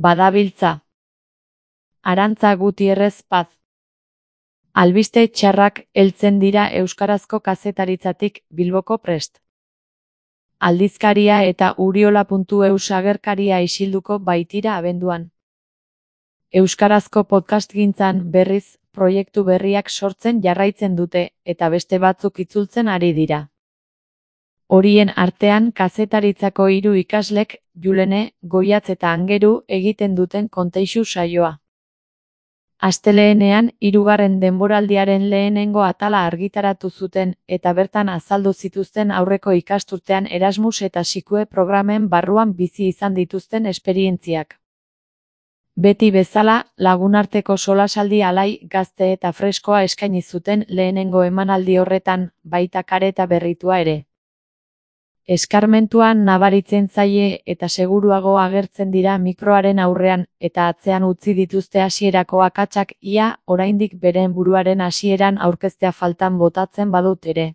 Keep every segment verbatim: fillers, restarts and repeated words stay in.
badabiltza. Arantza Gutierrez Paz. Albiste txarrak heltzen dira euskarazko kazetaritzatik Bilboko Prest. Aldizkaria eta uriola puntu eus agerkaria isilduko baitira abenduan. Euskarazko podcastgintzan berriz proiektu berriak sortzen jarraitzen dute eta beste batzuk itzultzen ari dira. Horien artean kazetaritzako hiru ikaslek, Julene, Goiatz eta Angeru egiten duten konteixu saioa. Astelehenean hirugarren denboraldiaren lehenengo atala argitaratu zuten eta bertan azaldu zituzten aurreko ikasturtean Erasmus eta Sikue programen barruan bizi izan dituzten esperientziak. Beti bezala, lagunarteko solasaldi alai, gazte eta freskoa eskaini zuten lehenengo emanaldi horretan, baita kareta berritua ere. Eskarmentuan nabaritzen zaie eta seguruago agertzen dira mikroaren aurrean eta atzean utzi dituzte hasierako akatsak ia oraindik beren buruaren hasieran aurkeztea faltan botatzen badut ere.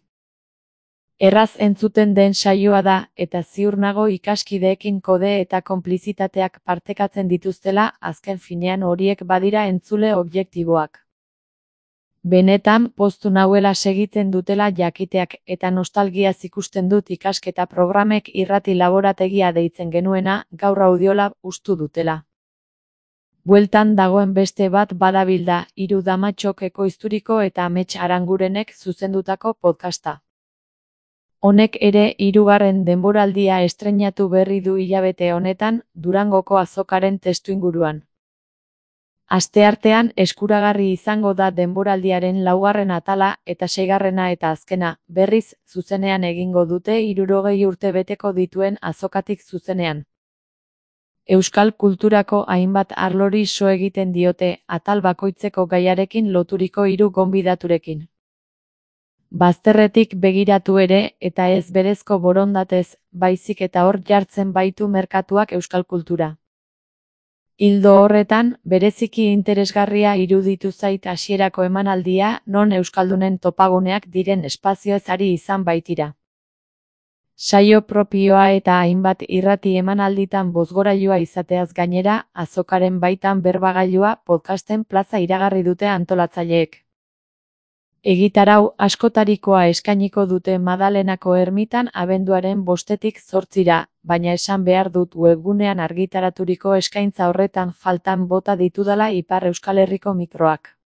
Erraz entzuten den saioa da eta ziur nago ikaskideekin kode eta konplizitateak partekatzen dituztela azken finean horiek badira entzule objektiboak. Benetan poztu nauela segitzen dutela jakiteak eta nostalgiaz ikusten dut ikasketa programek irrati laborategia deitzen genuena gaur audiola ustu dutela. Bueltan dagoen beste bat badabilda hiru damatxok ekoizturiko eta Amets Arangurenek zuzendutako podcasta. Honek ere hirugarren denboraldia estreinatu berri du hilabete honetan Durangoko azokaren testuinguruan. Asteartean eskuragarri izango da denboraldiaren laugarren atala eta seigarrena eta azkena, berriz, zuzenean egingo dute hirurogei urte beteko dituen azokatik zuzenean. Euskal kulturako hainbat arlori so egiten diote atal bakoitzeko gaiarekin loturiko hiru gonbidaturekin. Bazterretik begiratu ere eta ez berezko borondatez, baizik eta hor jartzen baitu merkatuak euskal kultura. Ildo horretan, bereziki interesgarria iruditu zait hasierako emanaldia non euskaldunen topaguneak diren espazioez ari izan baitira. Saio propioa eta hainbat irrati emanalditan bozgorailua izateaz gainera, azokaren baitan berbagailua podcasten plaza iragarri dute antolatzaileek. Egitarau askotarikoa eskainiko dute Madalenako ermitan abenduaren bostetik zortzira, baina esan behar dut webgunean argitaraturiko eskaintza horretan faltan bota ditudala Ipar Euskal Herriko mikroak.